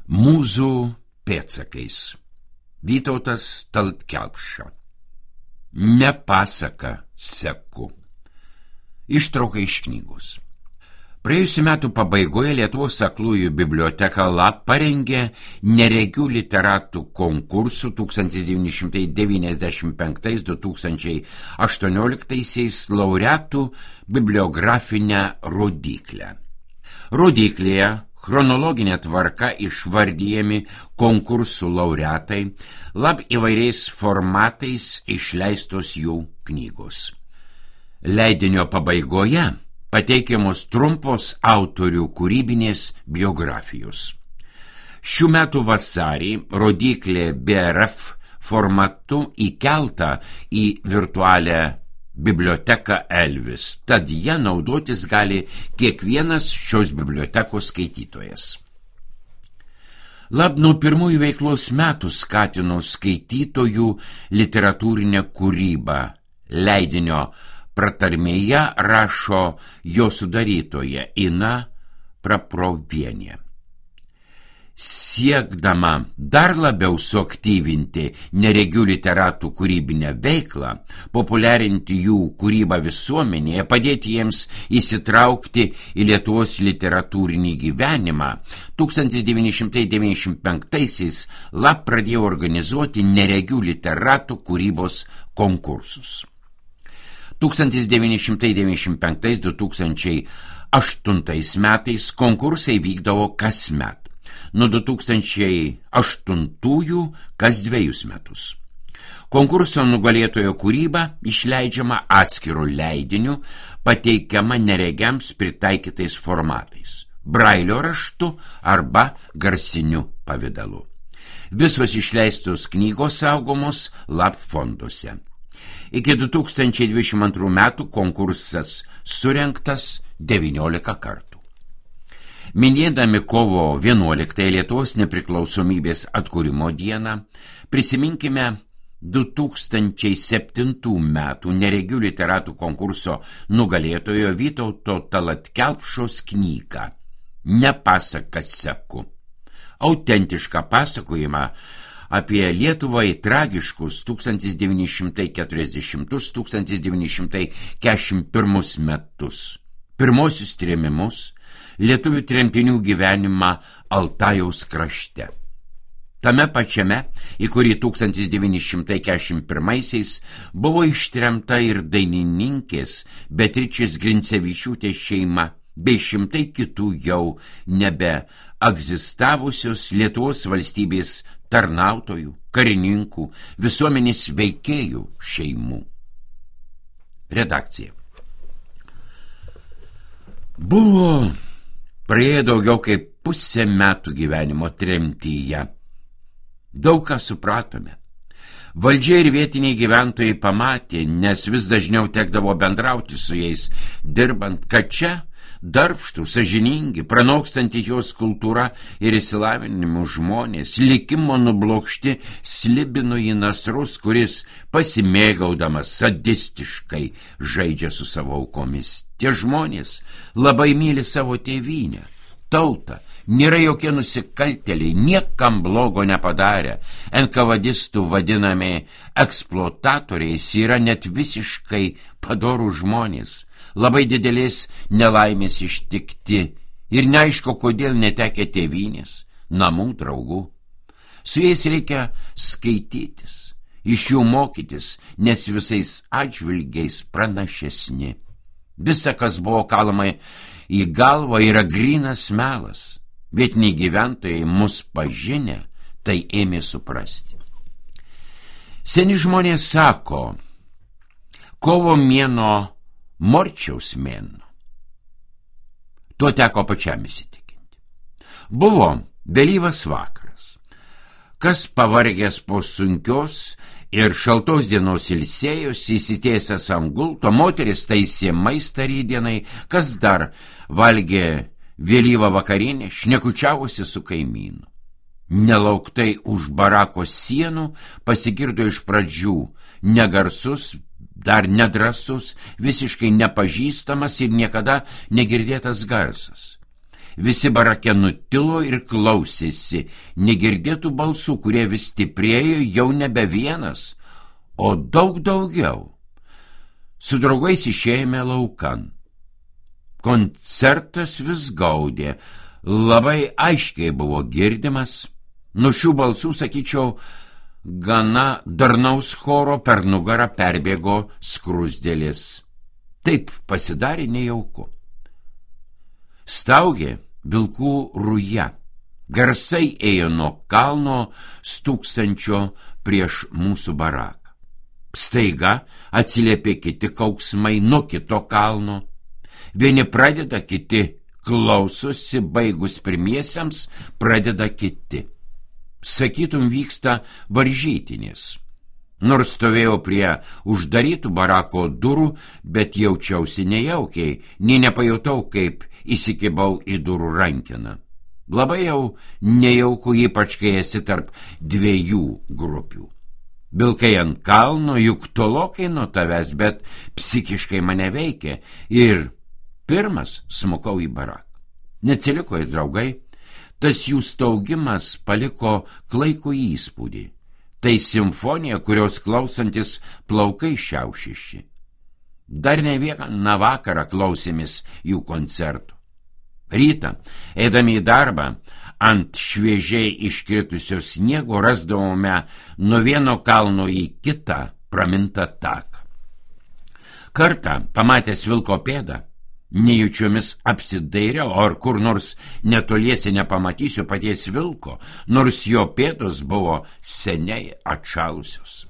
Mūzų pėdsakais. Vytautas Tallat Kelpša. Ne pasaka seku. Ištrauka iš knygos. Praėjusiu metų pabaigoje Lietuvos aklųjų biblioteka LAP parengė neregių literatų konkursų 1995-2018 laureatų bibliografinę rodyklę. Rodyklėje chronologinė tvarka išvardyjami konkursų laureatai, LAP įvairiais formatais išleistos jų knygos. Leidinio pabaigoje pateikiamos trumpos autorių kūrybinės biografijos. Šių metų vasarį rodyklė BRF formatu įkelta į virtualią biblioteką Elvis, tad ją naudotis gali kiekvienas šios bibliotekos skaitytojas. LAP nuo pirmųjų veiklos metų skatino skaitytojų literatūrinę kūrybą. Leidinio pratarmėje rašo jo sudarytoja Ina Praprovienė. Siekdama dar labiau suaktyvinti neregių literatų kūrybinę veiklą, populiarinti jų kūrybą visuomenėje, padėti jiems įsitraukti į Lietuvos literatūrinį gyvenimą, 1995-aisiais LAP pradėjo organizuoti neregių literatų kūrybos konkursus. 1995-2008 metais konkursai vykdavo kasmet. Nuo 2008 kas 2 metus. Konkurso nugalėtojo kūryba išleidžiama atskiru leidiniu, pateikiama neregiams pritaikytais formatais, brailio raštu arba garsiniu pavidalu. Visos išleistos knygos saugomos LAP fonduose. Iki 2022 metų konkursas surengtas 19 kartų. Minėdami kovo 11 Lietuvos nepriklausomybės atkūrimo dieną, prisiminkime 2007 metų neregių literatų konkurso nugalėtojo Vytauto Tallat Kelpšos knygą Ne pasaka seku. Autentišką pasakojimą apie Lietuvai tragiškus 1940-1941 metus, pirmosius trėmimus, lietuvių tremtinių gyvenimą Altajaus krašte. Tame pačiame, į kurį 1941-aisiais buvo ištremta ir dainininkės Beatričės Grincevičiūtės šeima, bei šimtai kitų jau nebe egzistavusios Lietuvos valstybės tarnautojų, karininkų, visuomenės veikėjų šeimų. Redakcija. Buvo praėjo daugiau kaip pusę metų gyvenimo tremtyje. Daug ką supratome. Valdžia ir vietiniai gyventojai pamatė, nes vis dažniau tekdavo bendrauti su jais, dirbant, kad čia darbštų, sąžiningi, pranokstanti jos kultūra ir išsilavinimu žmonės, likimo nublokšti slibino į nasrus, kuris pasimėgaudamas sadistiškai žaidžia su savo aukomis. Tie žmonės labai myli savo tėvynę, tautą, nėra jokie nusikaltėliai, niekam blogo nepadarę. NKVDistų vadinami eksploatatoriais yra net visiškai padorų žmonės, labai didelės nelaimės ištikti ir neaišku, kodėl netekę tėvynės, namų, draugų. Su jais reikia skaitytis, iš jų mokytis, nes visais atžvilgiais pranašesni. Visa, kas buvo kalama į galvą, yra grynas melas. Vietiniai gyventojai mus pažinę, tai ėmė suprasti. Seni žmonės sako, kovo mėnuo Morčiaus mėnuo. Tuo teko pačiam įsitikinti. Buvo vėlyvas vakaras. Kas pavargęs po sunkios ir šaltos dienos ilsėjosi, įsitiesęs ant gulto, moteris taisė maistą rytdienai, kas dar valgė vėlyvą vakarinę, šnekučiavosi su kaimynu. Nelauktai už barako sienų pasigirdo iš pradžių negarsus, dar nedrasus, visiškai nepažįstamas ir niekada negirdėtas garsas. Visi barake nutilo ir klausėsi negirdėtų balsų, kurie vis stiprėjo, jau nebe vienas, o daug daugiau. Su draugais išėjome laukan. Koncertas vis gaudė, labai aiškiai buvo girdimas. Nuo šių balsų, sakyčiau, gana darnaus choro per nugarą perbėgo skrusdėlis. Taip pasidarė nejauku. Staugė vilkų ruja. Garsai ėjo nuo kalno stūksančio prieš mūsų baraką. Staiga atsiliepė kiti kauksmai nuo kito kalno. Vieni pradeda, kiti klausosi, baigus pirmiesiems pradeda kiti. Sakytum, vyksta varžytinės. Nors stovėjau prie uždarytų barako durų, bet jaučiausi nejaukiai, nei nepajutau, kaip įsikibau į durų rankeną. Labai jau nejauku, ypač kai esi tarp dviejų grupių. Vilkai ant kalno, juk tolokai nuo tavęs, bet psichiškai mane veikė ir pirmas smukau į baraką. Neatsiliko ir draugai, tas jų staugimas paliko klaikų įspūdį. Tai simfonija, kurios klausantis plaukai šiaušiši. Dar ne vieną vakarą klausėmės jų koncertų. Rytą, eidami į darbą, ant šviežiai iškritusio sniego rasdavome nuo vieno kalno į kitą pramintą taką. Kartą, pamatęs vilko pėdą, nejučiomis apsidairiau, ar kur nors netoliese nepamatysiu paties vilko, nors jo pėdos buvo seniai atšalusios.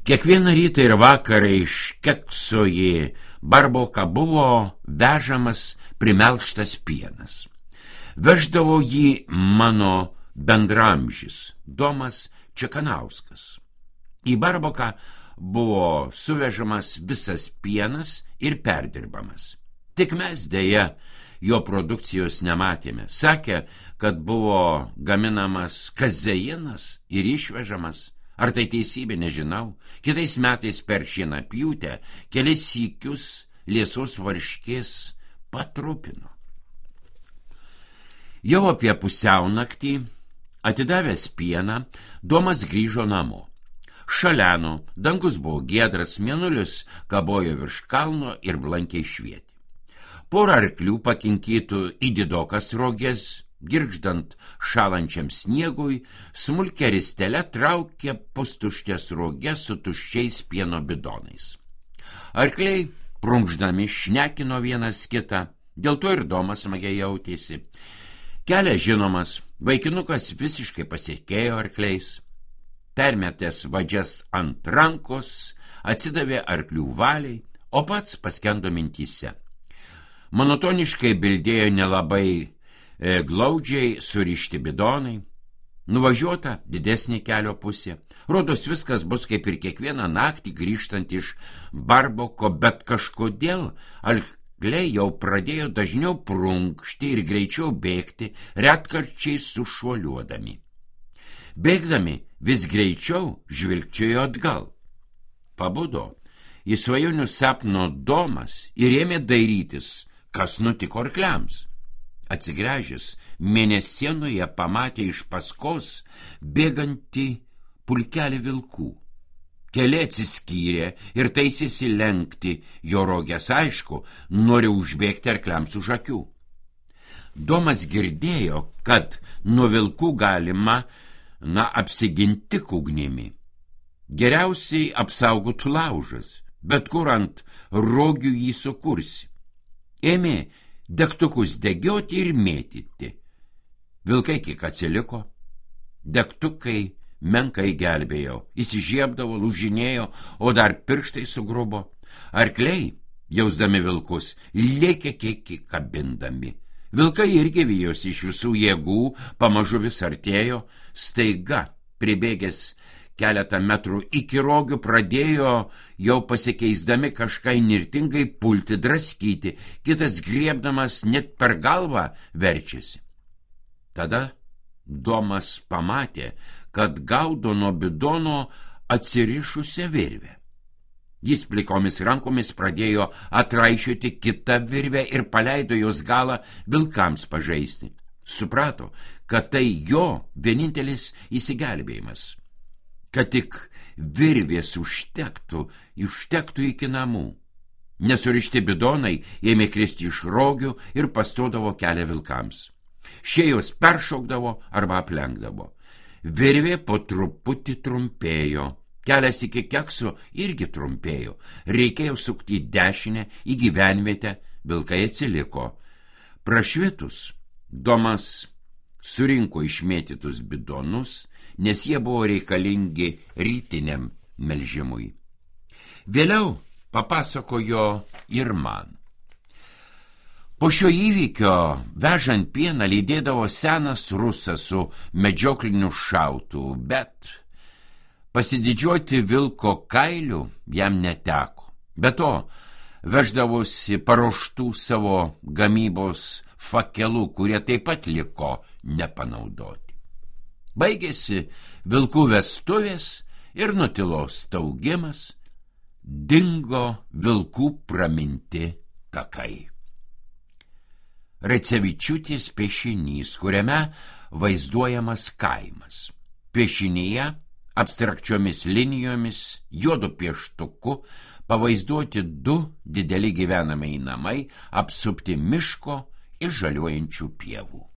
Kiekvieną rytą ir vakarą iš Kekso į Barboką buvo vežamas primelžtas pienas. Veždavo jį mano bendramžis, Domas Čekanauskas. Į Barboką buvo suvežamas visas pienas ir perdirbamas. Tik mes dėja jo produkcijos nematėme. Sakė, kad buvo gaminamas kazeinas ir išvežamas. Ar tai teisybė, nežinau. Kitais metais per šienapjūtę kelis sykius liesos varškės patrupino. Jau apie pusiaunaktį, atidavęs pieną, Domas grįžo namo. Šaleno, dangus buvo giedras, mėnulis kabojo virš kalno ir blankiai švietė. Porą arklių pakinkytų į didokas roges, girgždant šalančiam sniegui, smulkia ristele traukė pustuštės roges su tuščiais pieno bidonais. Arkliai, prunkšdami, šnekino vienas kitą, dėl to ir Domas smagiai jautėsi. Kelias žinomas, vaikinukas visiškai pasitikėjo arkliais. Permetęs vadžias ant rankos, atsidavė arklių valiai, o pats paskendo mintyse. Monotoniškai bildėjo nelabai glaudžiai surišti bidonai. Nuvažiuota didesnė kelio pusė. Rodos viskas bus kaip ir kiekvieną naktį grįžtant iš Barboko, bet kažkodėl arkliai jau pradėjo dažniau prunkšti ir greičiau bėgti, retkarčiais sušuoliuodami. Bėgdami vis greičiau žvilgčiojo atgal. Pabudo į svajonių sapno Domas ir ėmė dairytis, kas nutiko arkliams. Atsigręžęs, mėnesienoje pamatė iš paskos bėgantį pulkelį vilkų. Keli atsiskyrė ir taisėsi lenkti jo rogės, aišku, nori užbėgti arkliams už akių. Domas girdėjo, kad nuo vilkų galima apsiginti ugnimi. Geriausiai apsaugotų laužas, bet kur ant rogių jį sukursi. Ėmė degtukus degioti ir mėtyti. Vilkai kiek atsiliko, degtukai menkai gelbėjo, įsižiebdavo, lūžinėjo, o dar pirštai sugrubo. Arkliai, jausdami vilkus, lėkė kiek kabindami. Vilkai irgi vijosi iš visų jėgų, pamažu vis artėjo, staiga, pribėgęs keletą metrų iki rogių, pradėjo jau pasikeisdami kažką įnirtingai pulti, draskyti, kitas griebdamas net per galvą verčiasi. Tada Domas pamatė, kad gaudo nuo bidono atsirišusią virvę. Jis plikomis rankomis pradėjo atraišioti kitą virvę ir paleido jos galą vilkams pažaisti. Suprato, kad tai jo vienintelis įsigelbėjimas, kad tik virvės užtektų iki namų. Nesurišti bidonai ėmė kristi iš rogių ir pastodavo kelią vilkams. Šie jos peršokdavo arba aplenkdavo. Virvė po truputį trumpėjo, kelias iki kekso irgi trumpėjo. Reikėjo sukti į dešinę, į gyvenvietę, vilkai atsiliko. Prašvitus, Domas surinko išmėtytus bidonus, nes jie buvo reikalingi rytiniam melžimui. Vėliau papasakojo ir man. Po šio įvykio vežant pieną lydėdavo senas rusas su medžiokliniu šautuvu, bet pasididžiuoti vilko kailiu jam neteko. Be to, veždavosi paruoštų savo gamybos fakelų, kurie taip pat liko nepanaudoti. Baigėsi vilkų vestuvės ir nutilo staugimas, dingo vilkų praminti takai. Racevičiūtės piešinys, kuriame vaizduojamas kaimas. Piešinyje abstrakčiomis linijomis, juodu pieštuku pavaizduoti 2 dideli gyvenamieji namai, apsupti miško ir žaliuojančių pievų.